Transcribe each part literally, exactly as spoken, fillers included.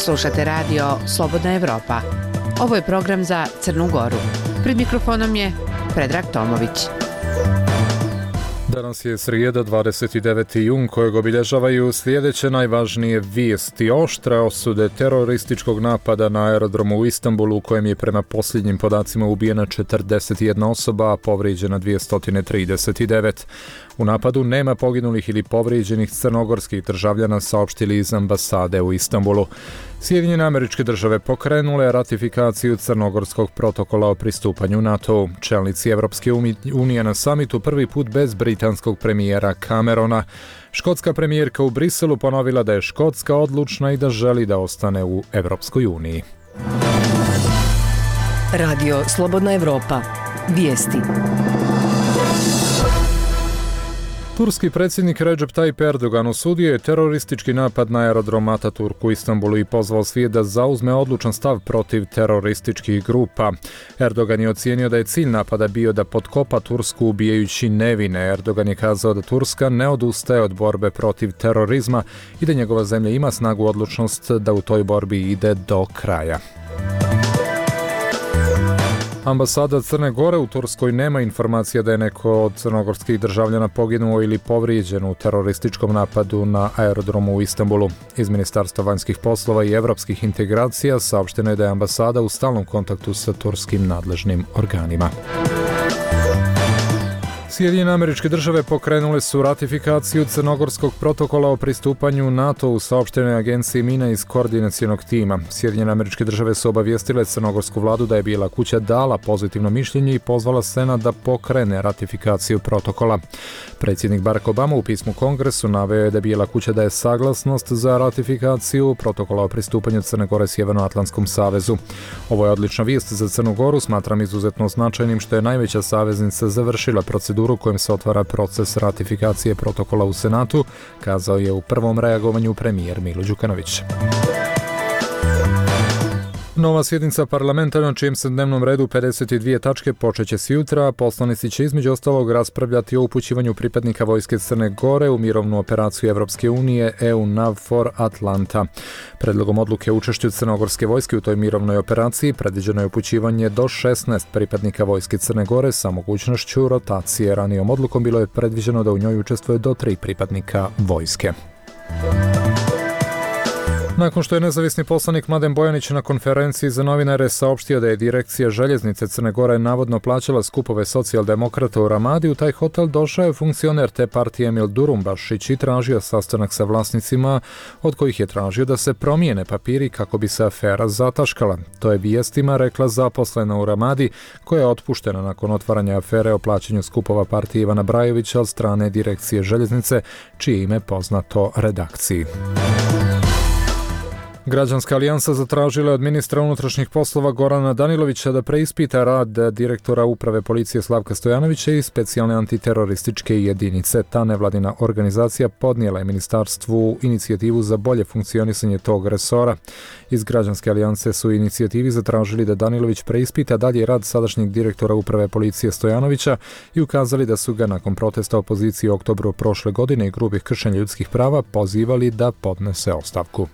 Slušate radio Slobodna Evropa. Ovo je program za Crnu Goru. Pred mikrofonom je Predrag Tomović. Danas je srijeda, dvadeset deveti jun, kojeg obilježavaju sljedeće najvažnije vijesti. Oštre osude terorističkog napada na aerodromu u Istanbulu, u kojem je prema posljednjim podacima ubijena četrdeset jedna osoba, a povrijeđena dvjesto trideset devet. U napadu nema poginulih ili povrijeđenih crnogorskih državljana, saopštili iz ambasade u Istanbulu. Sjedinjene Američke Države pokrenule ratifikaciju crnogorskog protokola o pristupanju NATO-u. Čelnici Evropske unije na samitu prvi put bez britanskog premijera Camerona. Škotska premijerka u Briselu ponovila da je Škotska odlučna i da želi da ostane u Evropskoj uniji. Radio Slobodna Evropa. Vijesti. Turski predsjednik Recep Tayyip Erdogan osudio je teroristički napad na aerodrom Ataturk u Istanbulu i pozvao svijet da zauzme odlučan stav protiv terorističkih grupa. Erdogan je ocijenio da je cilj napada bio da potkopa Tursku ubijajući nevine. Erdogan je kazao da Turska ne odustaje od borbe protiv terorizma i da njegova zemlja ima snagu odlučnost da u toj borbi ide do kraja. Ambasada Crne Gore u Turskoj nema informacija da je neko od crnogorskih državljana poginuo ili povrijeđen u terorističkom napadu na aerodromu u Istanbulu. Iz Ministarstva vanjskih poslova i evropskih integracija saopšteno je da je ambasada u stalnom kontaktu sa turskim nadležnim organima. Sjedinjene Američke Države pokrenule su ratifikaciju crnogorskog protokola o pristupanju NATO u saopštenoj agenciji Mina iz koordinacionog tima. Sjedinjene Američke Države su obavijestile crnogorsku vladu da je Bijela kuća dala pozitivno mišljenje i pozvala Senat da pokrene ratifikaciju protokola. Predsjednik Barack Obama u pismu Kongresu naveo je da Bijela kuća daje saglasnost za ratifikaciju protokola o pristupanju Crne Gore Sjevernoatlantskom savezu. Ovo je odlična vijest za Crnu Goru, smatram izuzetno značajnim što je najveća saveznica završila proceduru u kojem se otvara proces ratifikacije protokola u Senatu, kazao je u prvom reagovanju premijer Milo Đukanović. Nova sjednica parlamenta na čijem se dnevnom redu pedeset dvije tačke počeće s jutra. Poslanici će između ostalog raspravljati o upućivanju pripadnika vojske Crne Gore u mirovnu operaciju Evropske unije E U NAVFOR Atlanta. Predlogom odluke o učešću crnogorske vojske u toj mirovnoj operaciji predviđeno je upućivanje do šesnaest pripadnika vojske Crne Gore sa mogućnošću rotacije. Ranijom odlukom bilo je predviđeno da u njoj učestvuje do tri pripadnika vojske. Nakon što je nezavisni poslanik Mladen Bojanić na konferenciji za novinare saopštio da je direkcija željeznice Crne Gore navodno plaćala skupove socijaldemokrata u Ramadi, u taj hotel došao je funkcioner te partije Emil Durumbašić i tražio sastanak sa vlasnicima, od kojih je tražio da se promijene papiri kako bi se afera zataškala. To je vijestima rekla zaposlena u Ramadi, koja je otpuštena nakon otvaranja afere o plaćanju skupova partije Ivana Brajovića od strane direkcije željeznice, čije ime poznato redakciji. Građanska alijansa zatražila od ministra unutrašnjih poslova Gorana Danilovića da preispita rad direktora uprave policije Slavka Stojanovića i specijalne antiterorističke jedinice. Ta nevladina organizacija podnijela je ministarstvu inicijativu za bolje funkcionisanje tog resora. Iz Građanske alijanse su inicijativi zatražili da Danilović preispita dalje rad sadašnjeg direktora uprave policije Stojanovića i ukazali da su ga nakon protesta opozicije u oktobru prošle godine i grubih kršenja ljudskih prava pozivali da podnese ostavku.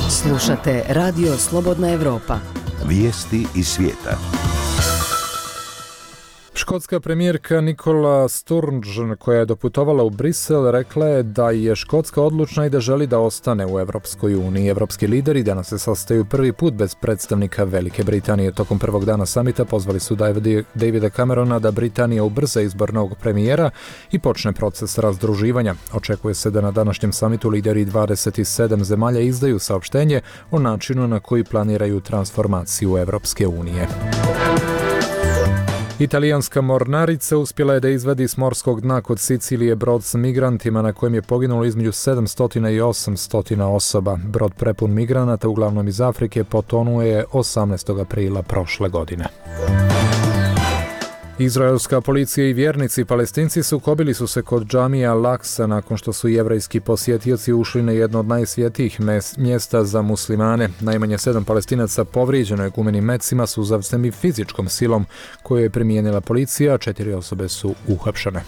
Slušate Radio Slobodna Evropa. Vijesti iz svijeta. Škotska premijerka Nicola Sturgeon, koja je doputovala u Brisel, rekla je da je Škotska odlučna i da želi da ostane u Evropskoj uniji. Evropski lideri danas se sastaju prvi put bez predstavnika Velike Britanije. Tokom prvog dana samita pozvali su Davida Camerona da Britanija ubrza izbor novog premijera i počne proces razdruživanja. Očekuje se da na današnjem samitu lideri dvadeset sedam zemalja izdaju saopštenje o načinu na koji planiraju transformaciju Evropske unije. Italijanska mornarica uspjela je da izvadi s morskog dna kod Sicilije brod s migrantima na kojem je poginulo između sedamsto i osamsto osoba. Brod prepun migranata, uglavnom iz Afrike, potonuo je osamnaestog aprila prošle godine. Izraelska policija i vjernici Palestinci sukobili su se kod džamija Al-Aksa nakon što su jevrejski posjetioci ušli na jedno od najsvjetijih mjesta za muslimane. Najmanje sedam Palestinaca povrijeđeno je gumenim mecima, suzavcem i fizičkom silom koju je primijenila policija, a četiri osobe su uhapšene.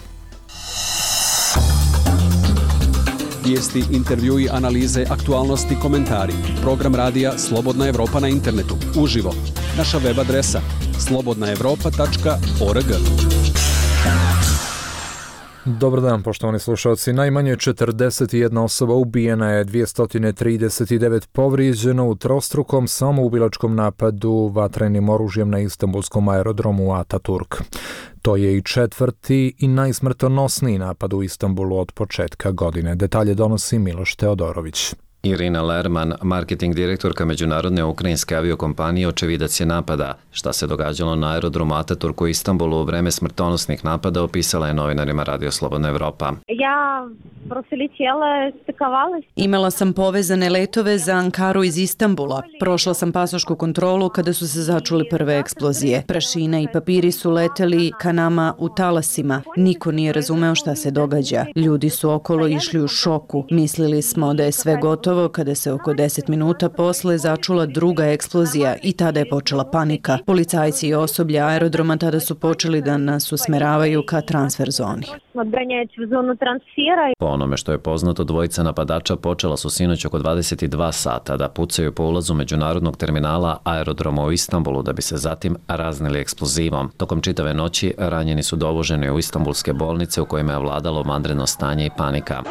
Vijesti, intervjui, analize, aktualnosti, komentari. Program radija Slobodna Evropa na internetu. Uživo. Naša web adresa slobodna evropa tačka org. Dobar dan, poštovani slušalci. Najmanje četrdeset jedna osoba ubijena je, dvjesto trideset devet povrijeđeno u trostrukom samoubilačkom napadu vatrenim oružjem na istanbulskom aerodromu Ataturk. To je i četvrti i najsmrtonosniji napad u Istanbulu od početka godine. Detalje donosi Miloš Teodorović. Irina Lerman, marketing direktorka međunarodne ukrajinske aviokompanije, očevidac je napada. Šta se događalo na aerodromu Ataturk u Istanbulu u vreme smrtonosnih napada opisala je novinarima Radio Slobodna Evropa. Ja Imala sam povezane letove za Ankaru iz Istanbula. Prošla sam pasošku kontrolu kada su se začuli prve eksplozije. Prašina i papiri su leteli ka nama u talasima. Niko nije razumeo šta se događa. Ljudi su okolo išli u šoku. Mislili smo da je sve gotovo kada se oko deset minuta posle začula druga eksplozija i tada je počela panika. Policajci i osoblje aerodroma tada su počeli da nas usmeravaju ka transfer zoni. Po onome što je poznato, dvojica napadača počela su sinoć oko dvadeset dva sata da pucaju po ulazu međunarodnog terminala aerodroma u Istanbulu da bi se zatim raznili eksplozivom. Tokom čitave noći ranjeni su dovoženi u istanbulske bolnice u kojima je vladalo vanredno stanje i panika.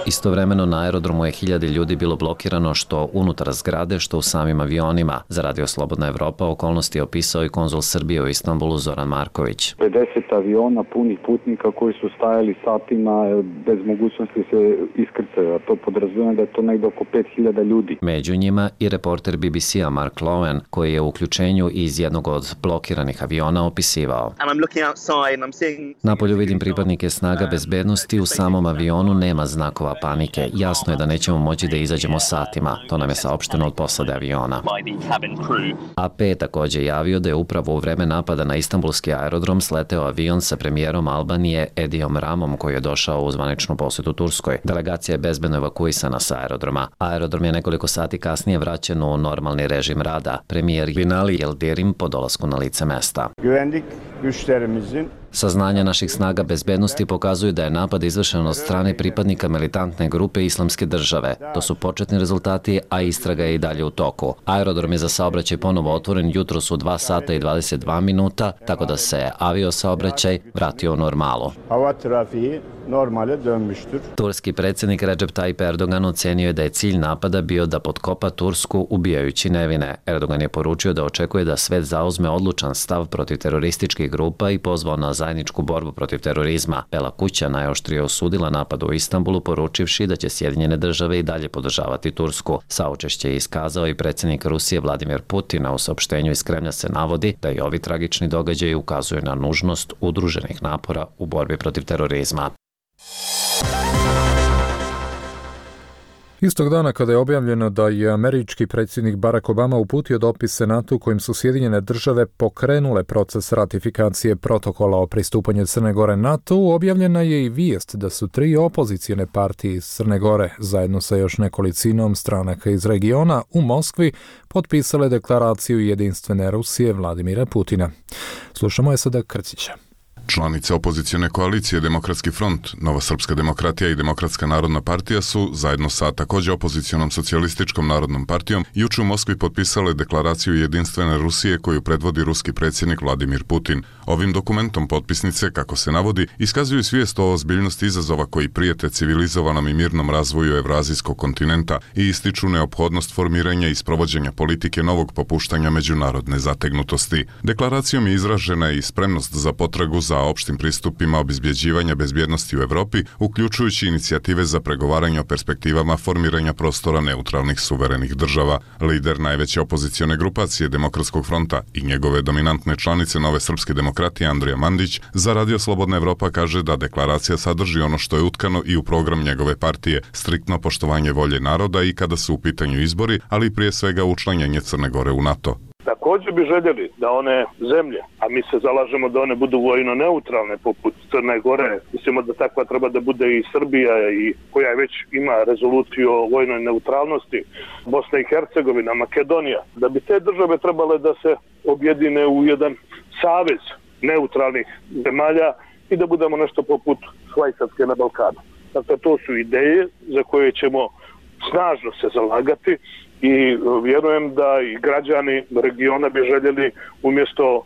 Istovremeno na aerodromu je hiljade ljudi bilo blokirano što unutar zgrade, što u samim avionima. Za Radio Slobodna Evropa okolnosti je opisao i konzul Srbije u Istanbulu Zoran Marković. pedeset aviona punih putnika koji su stajali satima bez mogućnosti se iskrcaju, a to podrazumijeva da je to negdje oko pet hiljada ljudi. Među njima i reporter B B C-a Mark Lowen, koji je u uključenju iz jednog od blokiranih aviona opisivao. Napolju vidim pripadnike snaga bezbednosti, u samom avionu nema znakova panike. Jasno je da nećemo moći da izađemo satima. To nam je saopšteno od posade aviona. A P je također javio da je upravo u vreme napada na istanbulski aerodrom sleteo avion sa premijerom Albanije Edijom Ramom koji je došao u zvaničnu posjetu Turskoj. Delegacija je bezbedno evakuisana sa aerodroma. Aerodrom je nekoliko sati kasnije vraćen u normalni režim rada. Premijer Binali Yildirim po dolasku na lice mesta. Saznanja naših snaga bezbednosti pokazuju da je napad izvršen od strane pripadnika militantne grupe Islamske države. To su početni rezultati, a istraga je i dalje u toku. Aerodrom je za saobraćaj ponovo otvoren jutros u dva sata i dvadeset dva minuta, tako da se avio saobraćaj vratio u normalu. Turski predsjednik Recep Tayyip Erdogan ocenio je da je cilj napada bio da potkopa Tursku ubijajući nevine. Erdogan je poručio da očekuje da svet zauzme odlučan stav protiv terorističkih grupa i pozvao na zajedničku borbu protiv terorizma. Bela kuća najoštrije osudila napad u Istanbulu, poručivši da će Sjedinjene države i dalje podržavati Tursku. Saučešće je iskazao i predsjednik Rusije Vladimir Putin, a u saopštenju iz Kremlja se navodi da i ovi tragični događaji ukazuju na nužnost udruženih napora u borbi protiv terorizma. Istog dana kada je objavljeno da je američki predsjednik Barack Obama uputio dopis Senatu kojim su Sjedinjene države pokrenule proces ratifikacije protokola o pristupanju Crne Gore NATO-u, objavljena je i vijest da su tri opozicijne partije iz Crne Gore zajedno sa još nekolicinom stranaka iz regiona u Moskvi potpisale deklaraciju jedinstvene Rusije Vladimira Putina. Slušamo je sada Krcića. Članice opozicijone koalicije Demokratski front, Nova srpska demokratija i Demokratska narodna partija su, zajedno sa također opozicijonom socijalističkom narodnom partijom, juče u Moskvi potpisale deklaraciju jedinstvene Rusije koju predvodi ruski predsjednik Vladimir Putin. Ovim dokumentom potpisnice, kako se navodi, iskazuju svijest o ozbiljnosti izazova koji prijete civilizovanom i mirnom razvoju Evrazijskog kontinenta i ističu neophodnost formiranja i sprovođenja politike novog popuštanja međunarodne zategnutosti. Deklaracijom je izražena i spremnost za potragu za opštim pristupima obezbjeđivanja bezbjednosti u Evropi, uključujući inicijative za pregovaranje o perspektivama formiranja prostora neutralnih suverenih država. Lider najveće opozicione grupacije Demokratskog fronta i njegove dominantne članice Nove srpske demokratije Andrija Mandić za Radio Slobodna Evropa kaže da deklaracija sadrži ono što je utkano i u program njegove partije, striktno poštovanje volje naroda i kada su u pitanju izbori, ali prije svega učlanjenje Crne Gore u NATO. Također bi željeli da one zemlje, a mi se zalažemo da one budu vojno neutralne poput Crne Gore, mislimo da takva treba da bude i Srbija i koja već ima rezoluciju o vojnoj neutralnosti, Bosna i Hercegovina, Makedonija, da bi te države trebale da se objedine u jedan savez neutralnih zemalja i da budemo nešto poput Švajcarske na Balkanu. Dakle, to su ideje za koje ćemo snažno se zalagati i vjerujem da i građani regiona bi željeli umjesto uh,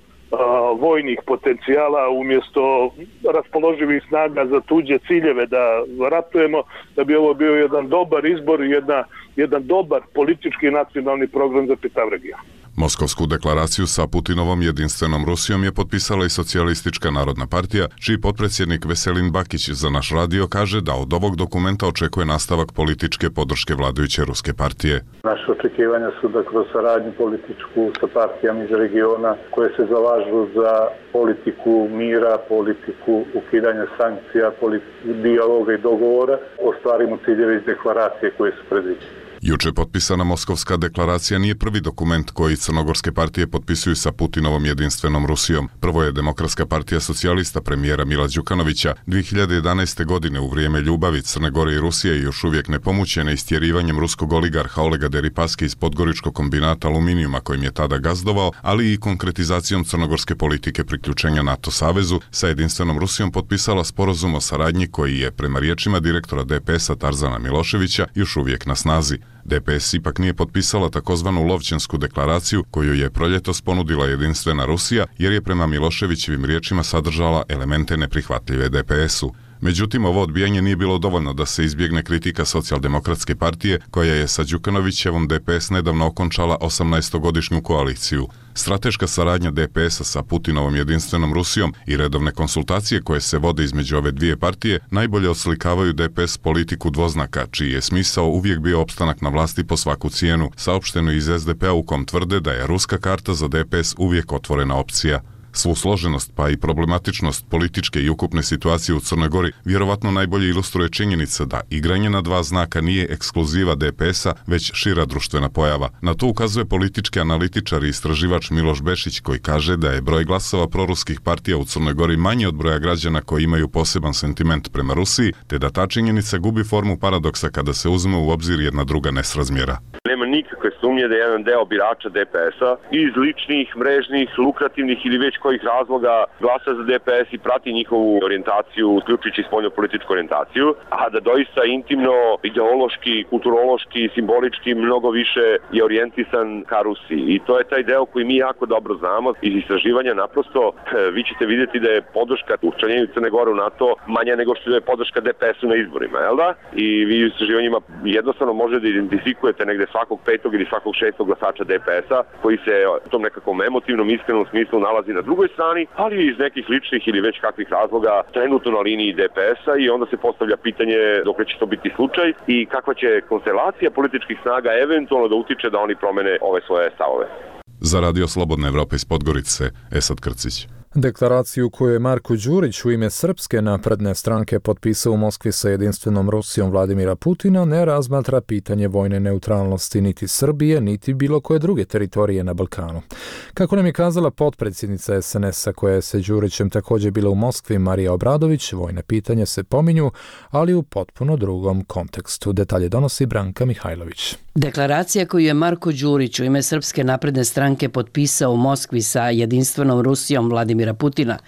vojnih potencijala, umjesto raspoloživih snaga za tuđe ciljeve da ratujemo, da bi ovo bio jedan dobar izbor i jedna, jedan dobar politički i nacionalni program za čitav region. Moskovsku deklaraciju sa Putinovom jedinstvenom Rusijom je potpisala i Socijalistička narodna partija, čiji potpredsjednik Veselin Bakić za naš radio kaže da od ovog dokumenta očekuje nastavak političke podrške vladajuće ruske partije. Naše očekivanja su da kroz saradnju političku sa partijama iz regiona koje se zalažu za politiku mira, politiku ukidanja sankcija, politiku dijaloga i dogovora, ostvarimo ciljeve iz deklaracije koje su predviđene. Juče potpisana Moskovska deklaracija nije prvi dokument koji crnogorske partije potpisuju sa Putinovom jedinstvenom Rusijom. Prvo je Demokratska partija socijalista premijera Mila Đukanovića dvije hiljade jedanaeste. godine u vrijeme ljubavi Crne Gore i Rusije još uvijek nepomućene istjerivanjem ruskog oligarha Olega Deripaske iz podgoričkog kombinata aluminijuma kojim je tada gazdovao, ali i konkretizacijom crnogorske politike priključenja NATO savezu, sa jedinstvenom Rusijom potpisala sporazum o saradnji koji je, prema riječima direktora D P S-a Tarzana Miloševića, još uvijek na snazi. D P S ipak nije potpisala takozvanu Lovćensku deklaraciju koju je proljetos ponudila jedinstvena Rusija jer je prema Miloševićevim riječima sadržala elemente neprihvatljive D P S-u. Međutim, ovo odbijanje nije bilo dovoljno da se izbjegne kritika Socijaldemokratske partije koja je sa Đukanovićevom D P S nedavno okončala osamnaestogodišnju koaliciju. Strateška saradnja D P S-a sa Putinovom jedinstvenom Rusijom i redovne konsultacije koje se vode između ove dvije partije najbolje oslikavaju D P S politiku dvoznaka, čiji je smisao uvijek bio opstanak na vlasti po svaku cijenu, saopšteno iz S D P-a u kom tvrde da je ruska karta za D P S uvijek otvorena opcija. Svu složenost pa i problematičnost političke i ukupne situacije u Crnoj Gori vjerovatno najbolje ilustruje činjenica da igranje na dva znaka nije ekskluziva D P S-a, već šira društvena pojava. Na to ukazuje politički analitičar i istraživač Miloš Bešić koji kaže da je broj glasova proruskih partija u Crnoj Gori manji od broja građana koji imaju poseban sentiment prema Rusiji, te da ta činjenica gubi formu paradoksa kada se uzme u obzir jedna druga nesrazmjera. Nema nikakve sumnje da je jedan deo birača D P S-a iz ličnih, mrežnih, lukrativnih ili već kojih razloga glasa za D P S i prati njihovu orijentaciju, uključujući spoljno-političku orijentaciju, a da doista intimno, ideološki, kulturološki, simbolički mnogo više je orijentisan ka Rusiji. I to je taj deo koji mi jako dobro znamo iz istraživanja. Naprosto vi ćete vidjeti da je podrška u učlanjenju Crne Gore u NATO manja nego što je podrška D P S-u na izborima, jel da? I vi u istraživanjima jednostavno možete da identifikujete negde svakog petog ili svakog šestog glasača D P S-a koji se u tom nekakvom emotivnom, iskrenom smislu nalazi na drugoj strani, ali iz nekih ličnih ili već kakvih razloga trenutno na liniji D P S-a i onda se postavlja pitanje dok će to biti slučaj i kakva će konstelacija političkih snaga eventualno da utiče da oni promene ove svoje stavove. Za Radio Slobodna Evropa iz Podgorice, Esad Krcić. Deklaraciju koju je Marko Đurić u ime Srpske napredne stranke potpisao u Moskvi sa jedinstvenom Rusijom Vladimira Putina ne razmatra pitanje vojne neutralnosti niti Srbije, niti bilo koje druge teritorije na Balkanu. Kako nam je kazala potpredsjednica S N S-a koja je sa Đurićem također bila u Moskvi, Marija Obradović, vojne pitanja se pominju, ali u potpuno drugom kontekstu. Detalje donosi Branka Mihajlović. Deklaracija koju je Marko Đurić u ime Srpske napredne stranke potpisao u Moskvi sa jedinstvenom Rusijom Vladimira Putina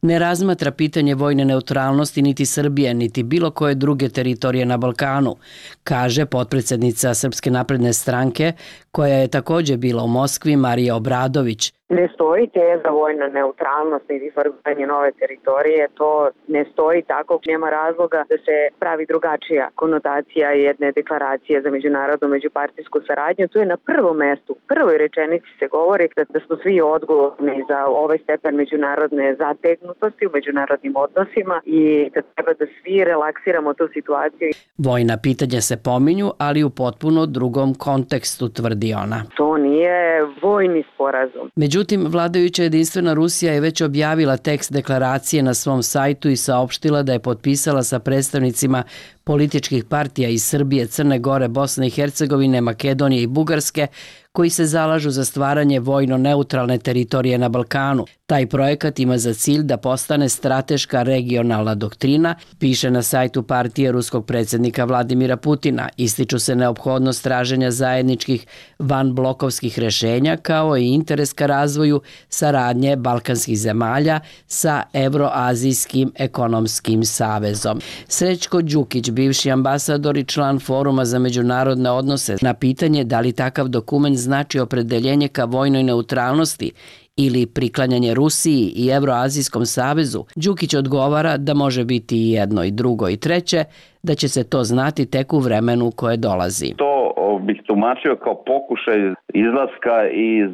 ne razmatra pitanje vojne neutralnosti niti Srbije, niti bilo koje druge teritorije na Balkanu, kaže potpredsjednica Srpske napredne stranke, koja je također bila u Moskvi, Marija Obradović. Ne stoji teza vojna neutralnost niti formiranje nove teritorije, to ne stoji tako, nema razloga da se pravi drugačija konotacija jedne deklaracije za međunarodnu međupartijsku saradnju. Tu je na prvom mestu, u prvoj rečenici se govori da, da smo svi odgovorni za ovaj stepen međunarodne zategnutosti u međunarodnim odnosima i da treba da svi relaksiramo tu situaciju. Vojna pitanja se pominju, ali u potpuno drugom kontekstu, tvrdi ona. To nije vojni sporazum. Međutim, vladajuća jedinstvena Rusija je već objavila tekst deklaracije na svom sajtu i saopštila da je potpisala sa predstavnicima političkih partija iz Srbije, Crne Gore, Bosne i Hercegovine, Makedonije i Bugarske, koji se zalažu za stvaranje vojno neutralne teritorije na Balkanu. Taj projekat ima za cilj da postane strateška regionalna doktrina, piše na sajtu partije ruskog predsjednika Vladimira Putina. Ističu se neophodnost traženja zajedničkih vanblokovskih rešenja kao i interes ka razvoju saradnje balkanskih zemalja sa Evroazijskim ekonomskim savezom. Srećko Đukić, bivši ambasador i član Foruma za međunarodne odnose, na pitanje da li takav dokument znači opredeljenje ka vojnoj neutralnosti ili priklanjanje Rusiji i Evroazijskom savezu, Đukić odgovara da može biti i jedno i drugo i treće, da će se to znati tek u vremenu koje dolazi. To bih tumačio kao pokušaj izlaska iz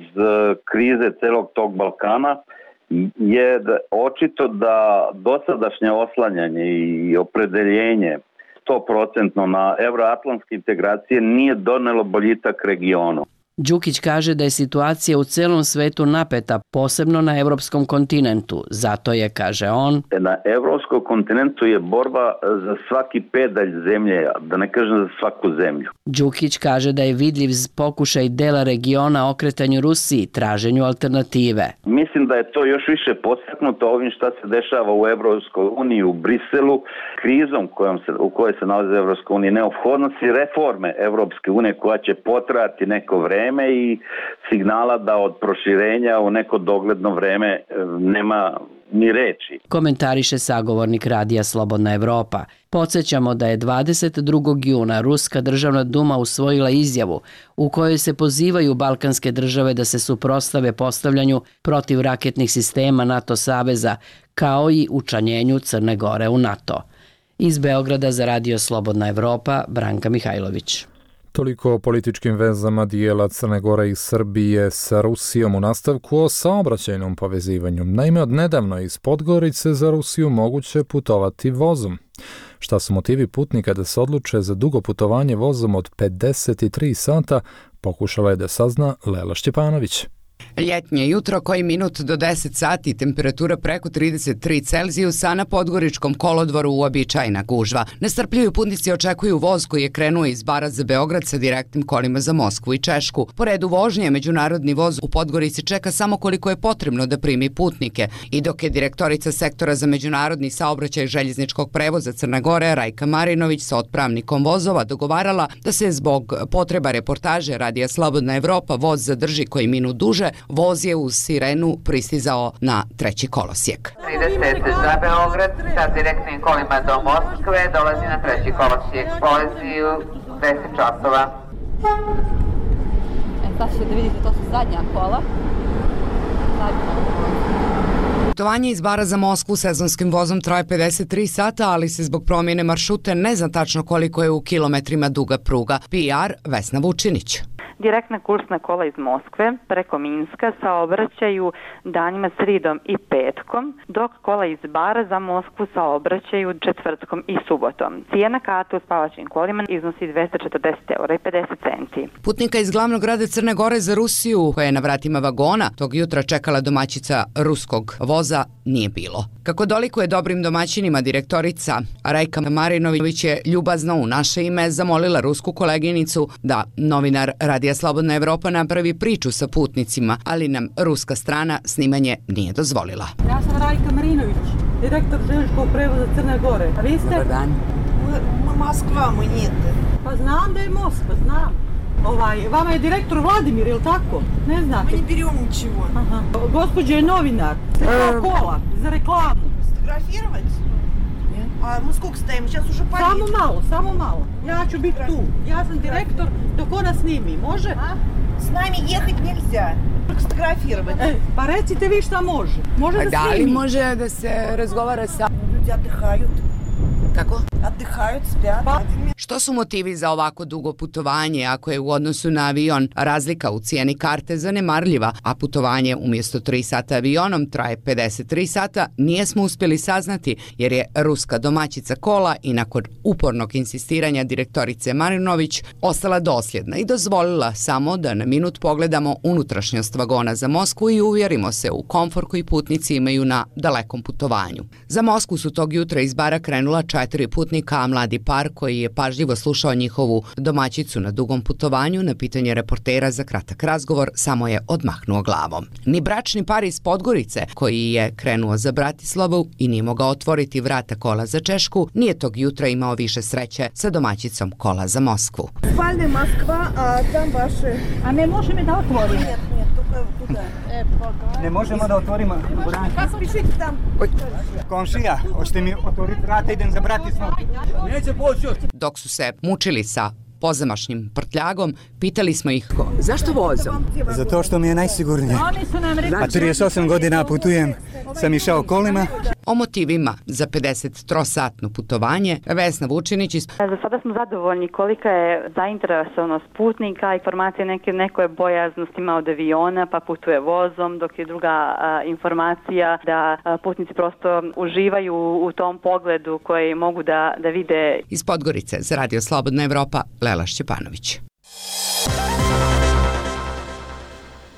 krize celog tog Balkana, je očito da dosadašnje oslanjanje i opredeljenje sto posto na evroatlantske integracije nije donelo boljitak regionu. Đukić kaže da je situacija u celom svetu napeta, posebno na evropskom kontinentu. Zato je, kaže on, na evropskom kontinentu je borba za svaki pedalj zemlje, da ne kažem za svaku zemlju. Đukić kaže da je vidljiv pokušaj dela regiona okretanju Rusiji, traženju alternative. Mislim da je to još više podstaknuto ovim šta se dešava u Evropskoj uniji, u Briselu, krizom kojom se, u kojoj se nalazi Evropska unija, neophodnosti reforme Evropske unije koja će potrajati neko vreme i signala da od proširenja u neko dogledno vreme nema ni reči. Komentariše sagovornik radija Slobodna Evropa. Podsjećamo da je dvadeset drugog juna Ruska državna duma usvojila izjavu u kojoj se pozivaju balkanske države da se suprotstave postavljanju protivraketnih sistema NATO saveza kao i učlanjenju Crne Gore u NATO. Iz Beograda za radio Slobodna Evropa, Branka Mihajlović. Toliko o političkim vezama dijela Crne Gore i Srbije sa Rusijom u nastavku o saobraćajnom povezivanju. Naime, od nedavno iz Podgorice za Rusiju moguće putovati vozom. Šta su motivi putnika da se odluče za dugo putovanje vozom od pedeset tri sata, pokušala je da sazna Lela Šćepanović. Ljetnje jutro, koji minut do deset sati, temperatura preko trideset tri Celzijusa, na Podgoričkom kolodvoru uobičajena gužva. Nestrpljivi putnici očekuju voz koji je krenuo iz Bara za Beograd sa direktnim kolima za Moskvu i Češku. Po redu vožnje, međunarodni voz u Podgorici čeka samo koliko je potrebno da primi putnike. I dok je direktorica sektora za međunarodni saobraćaj željezničkog prevoza Crne Gore, Rajka Marinović, sa otpravnikom vozova dogovarala da se zbog potreba reportaže radija Slobodna Evropa voz zadrži koji minut duže, voz je uz sirenu pristizao na treći kolosijek. trideset za Beograd sa direktnim kolima do Moskve dolazi na treći kolosijek. Polazi u deset časova. E, sad ćete da vidite, to su zadnja kola. Zadnja. Putovanje iz Bara za Moskvu sezonskim vozom traje pedeset tri sata, ali se zbog promjene maršrute ne zna tačno koliko je u kilometrima duga pruga. P R Vesna Vučinić. Direktna kursna kola iz Moskve preko Minska saobraćaju danima sridom i petkom, dok kola iz Bara za Moskvu saobraćaju četvrtkom i subotom. Cijena karte u spavačim kolima iznosi dvesta četrdeset eura i pedeset centi. Putnika iz glavnog grada Crne Gore za Rusiju, koja je na vratima vagona tog jutra čekala domaćica ruskog voza, nije bilo. Kako dolikuje dobrim domaćinima, direktorica Rajka Marinović je ljubazno u naše ime zamolila rusku koleginicu da novinar Radija Slobodna Evropa napravi priču sa putnicima, ali nam ruska strana snimanje nije dozvolila. Ja sam Rajka Marinović, direktor željezničkog prevoza Crne Gore. A vi ste? Dobar dan. Moskva, mu nijete. Pa znam da je Moskva, znam. Ovaj, vama je direktor Vladimir, je li tako? Ne znate? Mi ne beremo ničего. Aha. Gospođa je novinar. Za kola, za reklamu. Sfotografировать? A мы сколько стоим? Сейчас уже поедем. Samo malo, samo malo. Ja ću biti tu. Ja sam direktor, dok ona snimi. Može? A? S nami ехать nельзя. Только сфотографировать. E, pa recite vi šta može. Može da, da snimi. Da li može da se razgovara sa... Ljudi отдыхают. Kako? Отдыхают, спят. Pa. Što su motivi za ovako dugo putovanje ako je u odnosu na avion razlika u cijeni karte zanemarljiva, a putovanje umjesto tri sata avionom traje pedeset tri sata, nije smo uspjeli saznati jer je ruska domaćica kola i nakon upornog insistiranja direktorice Marinović ostala dosljedna i dozvolila samo da na minut pogledamo unutrašnjost vagona za Moskvu i uvjerimo se u komfor koji putnici imaju na dalekom putovanju. Za Moskvu su tog jutra iz Bara krenula četiri četiri putnika, a mladi par koji je pažljivo slušao njihovu domaćicu na dugom putovanju, na pitanje reportera za kratak razgovor samo je odmahnuo glavom. Ni bračni par iz Podgorice, koji je krenuo za Bratislavu i nije mogao otvoriti vrata kola za Češku, nije tog jutra imao više sreće sa domaćicom kola za Moskvu. Spalne Moskva, a tam vaše... A ne može mi da otvorim? Нет, нет, тука, тука. E, pa Ne možemo da otvorimo vrata. Kako pišite tam? Komšija, hoćete mi otvoriti vrata, idem za Bratislavu. Neće poći. Dok su se mučili sa pozamašnim prtljagom, pitali smo ih zašto voze? Zato što mi je najsigurnije. A trideset osam godina putujem, sam išao kolima. O motivima za pedesettrosatno putovanje Vesna Vučinić iz... Za sada smo zadovoljni kolika je zainteresovanost putnika, informacije neke, neko je bojaznost ima od aviona pa putuje vozom, dok je druga a, informacija da a, putnici prosto uživaju u tom pogledu koji mogu da, da vide. Iz Podgorice za Radio Slobodna Evropa, Lela Šćepanović.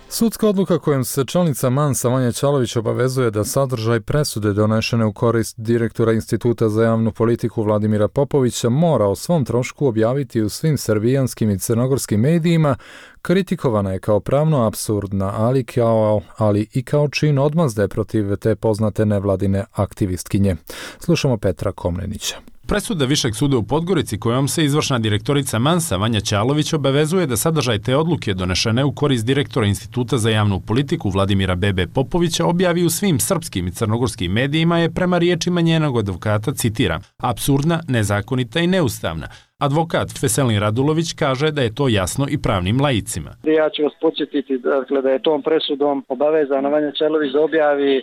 Sudska odluka kojom se čelnica Mansa Vanja Ćalović obavezuje da sadržaj presude donešene u korist direktora Instituta za javnu politiku Vladimira Popovića mora o svom trošku objaviti u svim srbijanskim i crnogorskim medijima, kritikovana je kao pravno apsurdna, ali, kao, ali i kao čin odmazde protiv te poznate nevladine aktivistkinje. Slušamo Petra Komnenića. Presuda Višeg suda u Podgorici kojom se izvršna direktorica Mansa Vanja Ćalović obavezuje da sadržaj te odluke donešene u korist direktora Instituta za javnu politiku Vladimira Bebe Popovića objavi u svim srpskim i crnogorskim medijima je prema riječima njenog advokata, citiram, apsurdna, nezakonita i neustavna. Advokat Veselin Radulović kaže da je to jasno i pravnim laicima. Ja ću vas podsjetiti dakle, da je tom presudom obavezana Vanja Ćalović da objavi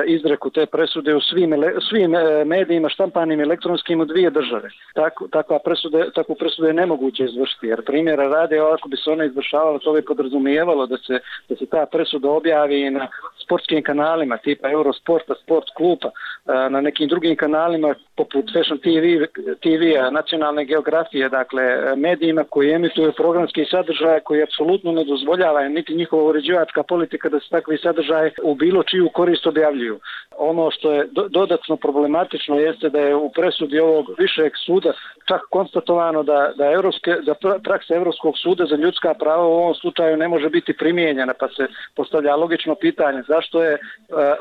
izreku te presude u svim, svim medijima, štampanim i elektronskim u dvije države. Tako, takva presude, takvu presudu je nemoguće izvršiti, jer primjera rade, ako bi se ona izvršavala, to bi podrazumijevalo da se, da se ta presuda objavi na sportskim kanalima, tipa Eurosporta, Sport kluba, na nekim drugim kanalima, poput Fashion T V, T V-a, nacionalne geografije, dakle, medijima koji emituju programski sadržaj koji apsolutno ne dozvoljava niti njihova uređivačka politika da se takvi sadržaj u bilo čiju korist objavljuju. Ono što je do, dodatno problematično jeste da je u presudi ovog višeg suda čak konstatovano da, da, evropske, da praksa Evropskog suda za ljudska prava u ovom slučaju ne može biti primijenjena, pa se postavlja logično pitanje zašto je uh,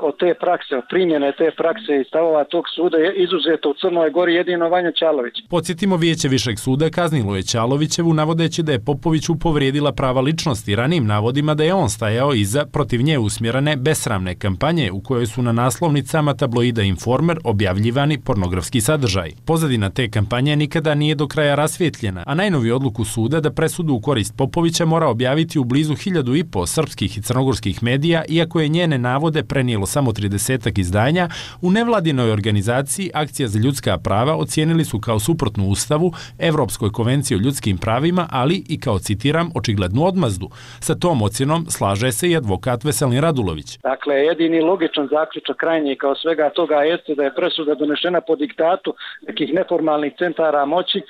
od te prakse, od primjene te prakse i stavova tog suda je izuzeto u Crnoj Gori jedino Vanja Ćalović. Podsjetimo, Vijeće Višeg suda kaznilo je Ćalovićevu navodeći da je Popoviću povrijedila prava ličnosti ranim navodima da je on stajao iza protiv nje usmjerene besramne kampanje u kojoj su na naslovnicama tabloida Informer objavljivani pornografski sadržaj. Pozadina te kampanje nikada nije do kraja rasvjetljena, a najnoviju odluku suda da presudu u korist Popovića mora objaviti u blizu hiljadu i po srpskih i crnogorskih medija, iako je njene navode prenijelo samo tridesetak izdanja, u nevladinoj organizaciji Akcija za ljudska prava ocijenili su kao suprotnu Ustavu, Evropskoj konvenciji o ljudskim pravima, ali i kao, citiram, očiglednu odmazdu. Sa tom ocjenom slaže se i advokat Veselin Radulović. Dakle, jedini logičan zaključak krajnji kao svega toga jeste da je presuda donešena po diktatu nekih neformalnih centara moći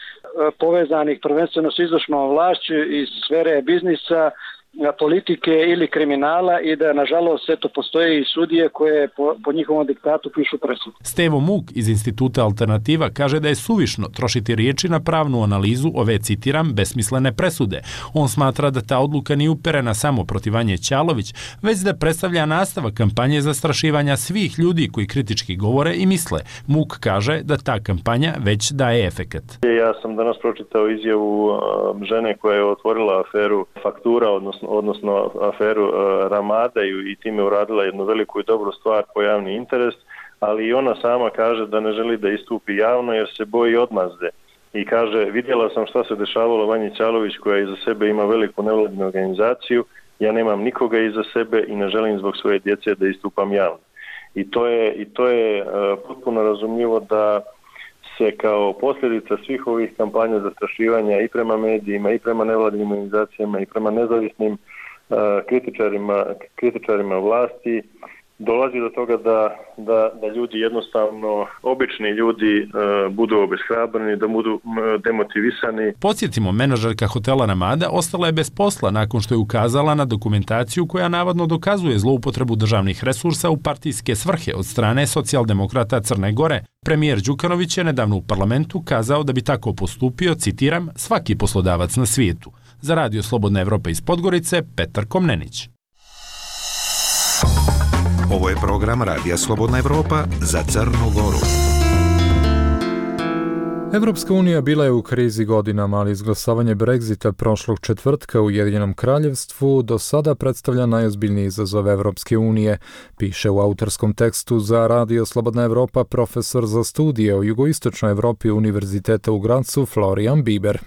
povezanih prvenstveno s izvršnom vlašću iz sfere biznisa, politike ili kriminala i da nažalost eto postoje i sudije koje po, po njihovom diktatu pišu presudu. Stevo Muk iz Instituta Alternativa kaže da je suvišno trošiti riječi na pravnu analizu ove, citiram, besmislene presude. On smatra da ta odluka nije uperena samo protiv Vanje Ćalović, već da predstavlja nastavak kampanje zastrašivanja svih ljudi koji kritički govore i misle. Muk kaže da ta kampanja već daje efekat. Ja sam danas pročitao izjavu žene koja je otvorila aferu faktura, odnosno odnosno aferu uh, Ramada i, i time uradila jednu veliku i dobru stvar po javni interes, ali i ona sama kaže da ne želi da istupi javno jer se boji odmazde. I kaže, vidjela sam šta se dešavalo Vanji Ćalović koja iza sebe ima veliku nevladinu organizaciju, ja nemam nikoga iza sebe i ne želim zbog svoje djece da istupam javno. I to je, i to je uh, potpuno razumljivo da se kao posljedica svih ovih kampanja zastrašivanja i prema medijima, i prema nevladinim organizacijama, i prema nezavisnim uh, kritičarima, kritičarima vlasti, dolazi do toga da, da, da ljudi jednostavno, obični ljudi e, budu obeshrabreni, da budu m, demotivisani. Podsjetimo, menadžerka hotela Ramada ostala je bez posla nakon što je ukazala na dokumentaciju koja navodno dokazuje zloupotrebu državnih resursa u partijske svrhe od strane socijaldemokrata Crne Gore. Premijer Đukanović je nedavno u parlamentu kazao da bi tako postupio, citiram, svaki poslodavac na svijetu. Za Radio Slobodna Evropa iz Podgorice, Petar Komnenić. Ovo je program Radija Slobodna Evropa za Crnu Goru. Evropska unija bila je u krizi godinama, ali izglasavanje Brexita prošlog četvrtka u Ujedinjenom kraljevstvu do sada predstavlja najozbiljniji izazov Evropske unije, piše u autorskom tekstu za Radio Slobodna Evropa profesor za studije o jugoistočnoj Evropi Univerziteta u Gracu Florian Bieber.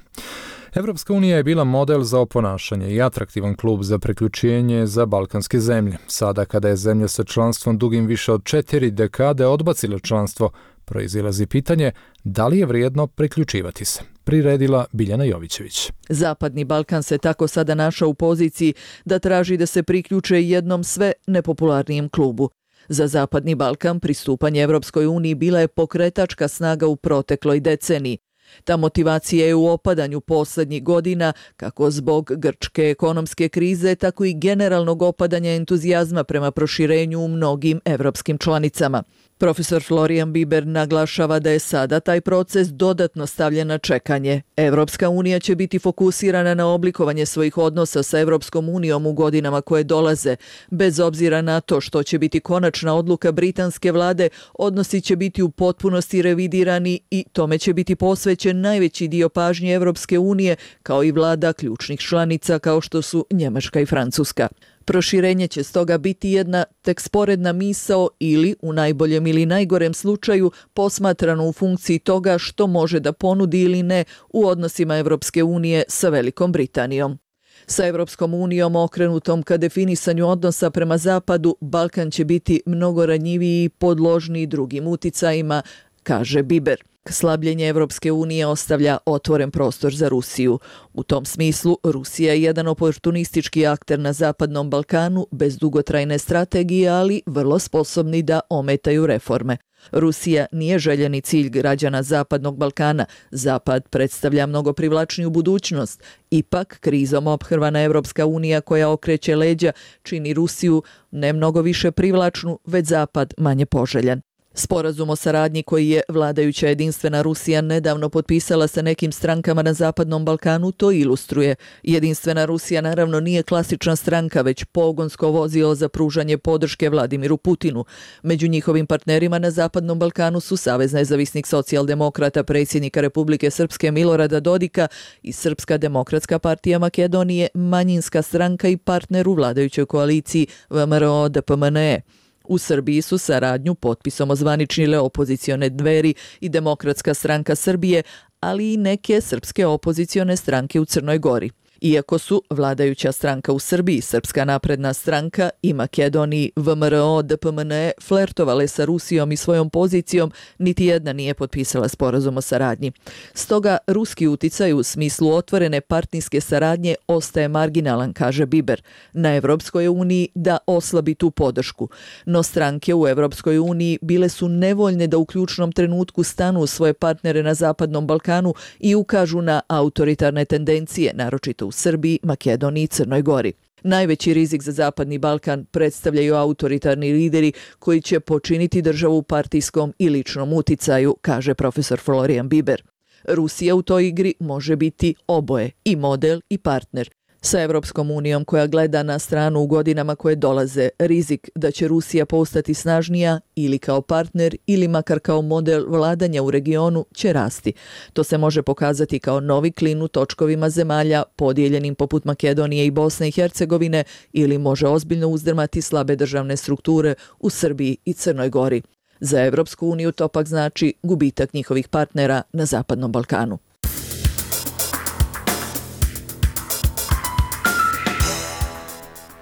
Evropska unija je bila model za oponašanje i atraktivan klub za priključenje za balkanske zemlje. Sada kada je zemlja sa članstvom dugim više od četiri dekade odbacila članstvo, proizilazi pitanje da li je vrijedno priključivati se. Priredila Biljana Jovićević. Zapadni Balkan se tako sada našao u poziciji da traži da se priključe jednom sve nepopularnijem klubu. Za Zapadni Balkan pristupanje Evropskoj uniji bila je pokretačka snaga u protekloj deceniji. Ta motivacija je u opadanju poslednjih godina, kako zbog grčke ekonomske krize, tako i generalnog opadanja entuzijazma prema proširenju u mnogim evropskim članicama. Profesor Florian Bieber naglašava da je sada taj proces dodatno stavljen na čekanje. Evropska unija će biti fokusirana na oblikovanje svojih odnosa sa Evropskom unijom u godinama koje dolaze. Bez obzira na to što će biti konačna odluka britanske vlade, odnosi će biti u potpunosti revidirani i tome će biti posvećen najveći dio pažnje Evropske unije, kao i vlada ključnih članica kao što su Njemačka i Francuska. Proširenje će stoga biti jedna tek sporedna misao ili, u najboljem ili najgorem slučaju, posmatrano u funkciji toga što može da ponudi ili ne u odnosima Evropske unije sa Velikom Britanijom. Sa Evropskom unijom okrenutom ka definisanju odnosa prema zapadu, Balkan će biti mnogo ranjiviji i podložniji drugim uticajima, kaže Bieber. Slabljenje Evropske unije ostavlja otvoren prostor za Rusiju. U tom smislu, Rusija je jedan oportunistički akter na Zapadnom Balkanu bez dugotrajne strategije, ali vrlo sposobni da ometaju reforme. Rusija nije željeni cilj građana Zapadnog Balkana. Zapad predstavlja mnogo privlačniju budućnost. Ipak, krizom ophrvana Evropska unija koja okreće leđa čini Rusiju ne mnogo više privlačnu, već Zapad manje poželjan. Sporazum o saradnji koji je vladajuća jedinstvena Rusija nedavno potpisala sa nekim strankama na Zapadnom Balkanu to ilustruje. Jedinstvena Rusija naravno nije klasična stranka, već pogonsko vozilo za pružanje podrške Vladimiru Putinu. Među njihovim partnerima na Zapadnom Balkanu su Savez nezavisnih socijaldemokrata predsjednika Republike Srpske Milorada Dodika i Srpska demokratska partija Makedonije, manjinska stranka i partner u vladajućoj koaliciji V M R O D P M N E. U Srbiji su saradnju potpisom ozvaničile opozicione Dveri i Demokratska stranka Srbije, ali i neke srpske opozicione stranke u Crnoj Gori. Iako su vladajuća stranka u Srbiji, Srpska napredna stranka i Makedoniji V M R O D P M N E flertovale sa Rusijom i svojom pozicijom, niti jedna nije potpisala sporazum o saradnji. Stoga, ruski uticaj u smislu otvorene partijske saradnje ostaje marginalan, kaže Bieber. Na Evropskoj uniji da oslabi tu podršku. No stranke u Evropskoj uniji bile su nevoljne da u ključnom trenutku stanu u svoje partnere na Zapadnom Balkanu i ukažu na autoritarne tendencije, naročito u Srbiji, Makedoniji i Crnoj Gori. Najveći rizik za Zapadni Balkan predstavljaju autoritarni lideri koji će počiniti državu u partijskom i ličnom uticaju, kaže profesor Florian Bieber. Rusija u toj igri može biti oboje, i model i partner. Sa Evropskom unijom koja gleda na stranu u godinama koje dolaze, rizik da će Rusija postati snažnija ili kao partner ili makar kao model vladanja u regionu će rasti. To se može pokazati kao novi klin u točkovima zemalja podijeljenim poput Makedonije i Bosne i Hercegovine ili može ozbiljno uzdrmati slabe državne strukture u Srbiji i Crnoj Gori. Za Evropsku uniju to pak znači gubitak njihovih partnera na Zapadnom Balkanu.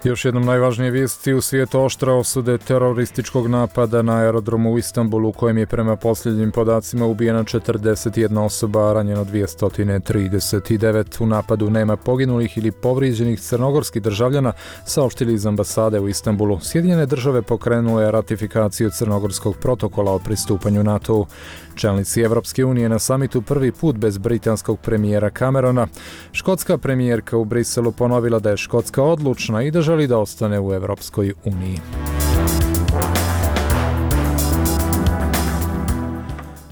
Još jednom najvažnije vijesti u svijetu: oštre osude terorističkog napada na aerodromu u Istanbulu u kojem je prema posljednjim podacima ubijena četrdeset jedna osoba, a ranjeno dvjesto trideset devet. U napadu nema poginulih ili povrijeđenih crnogorskih državljana, saopštili iz ambasade u Istanbulu. Sjedinjene države pokrenule ratifikaciju crnogorskog protokola o pristupanju NATO-u. Čelnici Evropske unije na samitu prvi put bez britanskog premijera Camerona. Škotska premijerka u Briselu ponovila da je Škotska odlučna i da želi da ostane u Evropskoj uniji.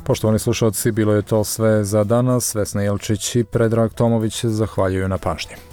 Poštovani slušalci, bilo je to sve za danas. Vesna Jelčić i Predrag Tomović zahvaljuju na pažnji.